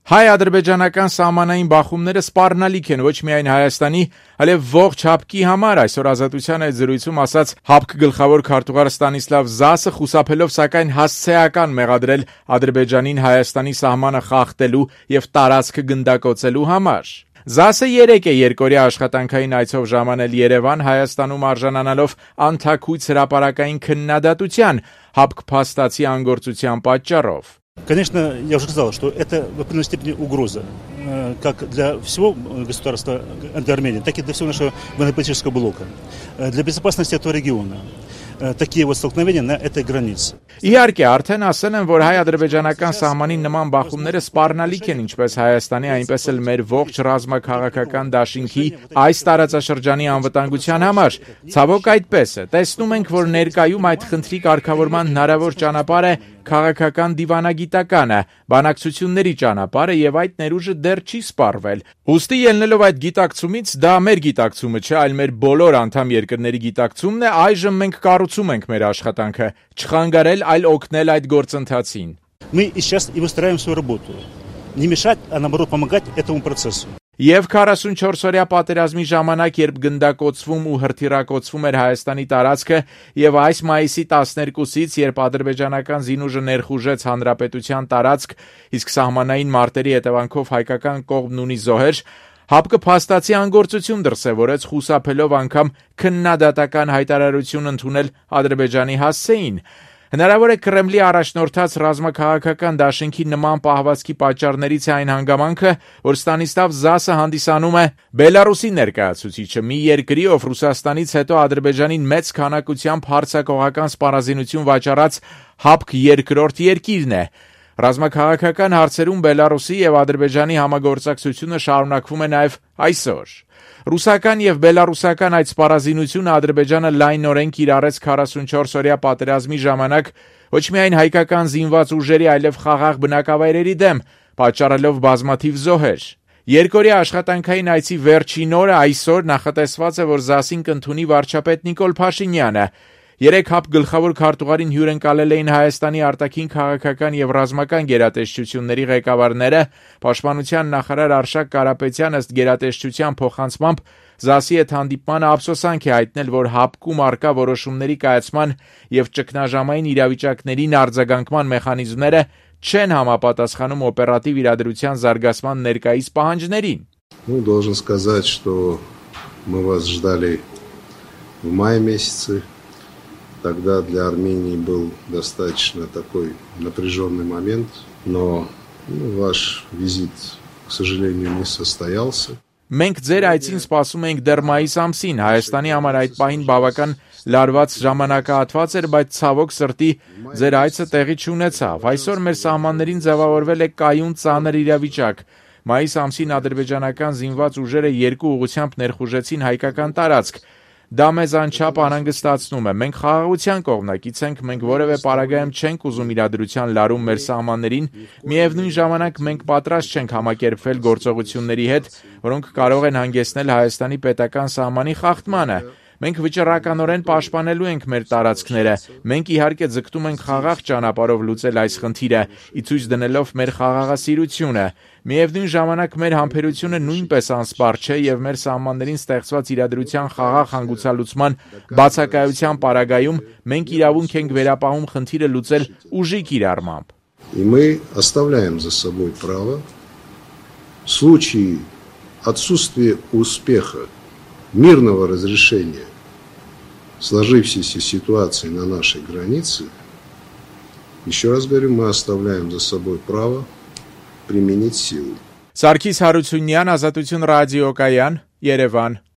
Հայ-ադրբեջանական սահմանային բախումները սպառնալիք են ոչ միայն Հայաստանի, այլև ողջ ՀԱՊԿ-ի համար, այսօր Ազատության այդ զրույցում ասաց ՀԱՊԿ գլխավոր քարտուղար Ստանիսլավ Զասը, խուսափելով սակայն հասցեական մեղադրել Ադրբեջանին Հայաստանի սահմանը խախտելու եւ տարածքը գնդակոծելու համար։ Զասը 3 է երկօրյա աշխատանքային այցով ժամանել Երևան, Հայաստանում արժանանալով անթաքույց հրապարակային քննադատության ՀԱՊԿ փաստացի անգործության պատճառով։ Конечно, я уже сказал, что это в определенной степени угроза, как для всего государства Армении, так и для всего нашего военно-политического блока, для безопасности этого региона. Такие вот столкновения на этой границе. Իհարկե, արդեն ասել են, որ հայ-ադրբեջանական սահմանին նման բախումները սպառնալիք են ինչպես Հայաստանի, այնպես էլ մեր ողջ ռազմաքաղաքական դաշինքի այս տարածաշրջանի անվտանգության համար։ Ցավոք այդպես է։ Տեսնում ենք, որ ներկայում այդ խնդրի կարգավորման հնարավոր ճանապարհը քաղաքական դիվանագիտականը, բանակցությունների ճանապարհը եւ այդ ներուժը դեռ չի սպառվել։ Ուստի ելնելով այդ գիտակցումից, դա մեր գիտակցումը չէ, այլ մեր բոլոր անդամ երկրների гитակցումն է, այժմ մենք կառուցում ենք մեր աշխատանքը, չխանգարել, այլ օգնել այդ գործընթացին։ Мы сейчас и выстраиваем свою работу. Не мешать, а наоборот помогать этому процессу. Եվ 44-օրյա պատերազմի ժամանակ, երբ գնդակոծվում ու հրթիռակոծվում էր Հայաստանի տարածքը, եւ այս մայիսի 12-ից, երբ ադրբեջանական զինուժը ներխուժեց հանրապետության տարածք, իսկ սահմանային մարտերի հետևանքով հայկական կողմն ունի զոհեր, ՀԱՊԿ փաստացի անգործություն դրսևորեց, խուսափելով անգամ քննադատական հայտարարություն ընդունել Ադրբեջանի հասցեին։ Հնարավոր է Կրեմլի առաջնորդած ռազմաքաղաքական դաշինքի նման պահվածքի պատճառներից է այն հանգամանքը, որ Ստանիսլավ Զասը հանդիսանում է Բելարուսի ներկայացուցիչը, մի երկրի, ով Ռուսաստանից հետո Ադրբեջանին մեծ քանակությամբ հարձակողական սպառազինություն վաճառած ՀԱՊԿ երկրորդ երկիրն է։ Ռազմաքաղաքական հարցերում Բելարուսի եւ Ադրբեջանի համագործակցությունը շարունակվում է նաեւ այսօր։ Ռուսական եւ բելարուսական այդ սպառազինությունը Ադրբեջանը լայնորեն կիրառեց 44-օրյա պատերազմի ժամանակ ոչ միայն հայկական զինված ուժերի, այլև խաղաղ բնակավայրերի դեմ, պատճառելով բազմաթիվ զոհեր։ Երկօրյա աշխատանքային այցի վերջին օրը այսօր նախատեսված է, որ Զասին կընդունի վարչապետ Նիկոլ Փաշինյանը։ 3 ՀԱՊԿ գլխավոր քարտուղարին հյուրընկալել էին Հայաստանի արտաքին քաղաքական եւ ռազմական գերատեսչությունների ղեկավարները, պաշտպանության նախարար Արշակ Կարապետյան ըստ գերատեսչության փոխանցմամբ Զասի հետ հանդիպմանը ափսոսանք է հայտնել, որ ՀԱՊԿ-ում արկա որոշումների կայացման եւ ճգնաժամային իրավիճակներին արձագանքման մեխանիզմները չեն համապատասխանում օպերատիվ իրադրության զարգացման ներկայիս պահանջներին։ Должен сказать, что мы вас ждали в мае месяце. Тогда для Армении был достаточно такой напряженный момент, но ваш визит, к сожалению, не состоялся. Մենք ձեր այցին սպասում էինք դեռ մայիս ամսին, Հայաստանի համար այդ պահին բավական լարված ժամանակահատված էր, բայց ցավոք սրտի ձեր այցը տեղի չունեցավ։ Այսօր մեր սահմաններին ձևավորվել է կայուն ծանր իրավիճակ։ Մայիս ամսին ադրբեջանական զինված ուժերը 2 ուղղությամբ ներխուժեցին հայկական տարածք։ Դա մեզ անչափ անհանգստացնում է։ Մենք խաղաղության կողմնակից ենք, մենք որևէ պարագայում չենք ուզում իրադրության լարում մեր սահմաններին, միևնույն ժամանակ մենք պատրաստ չենք համակերպվել գործողությունների հետ, որոնք կարող են հանգեցնել Հայաստանի պետական սահմանի խախտմանը։ Մենք վճռականորեն պաշտպանելու ենք մեր տարածքները։ Մենք իհարկե ձգտում ենք խաղաղ ճանապարհով լուծել այս խնդիրը, ի ցույց դնելով մեր խաղաղասիրությունը։ Միևնույն ժամանակ մեր համբերությունը նույնպես անսպառ չէ եւ մեր սահմաններին ստեղծված իրադրության խաղաղ հանգուցալուծման բացակայության պարագայում մենք իրավունք ենք վերապահում խնդիրը լուծել ուժի կիրառմամբ։ И мы оставляем за собой право в случае отсутствия успеха мирного разрешения сложившейся ситуации на нашей границе, еще раз говорю, мы оставляем за собой право применить силу. Սարգիս Հարությունյան, Ազատություն ռադիոկայան, Երևան։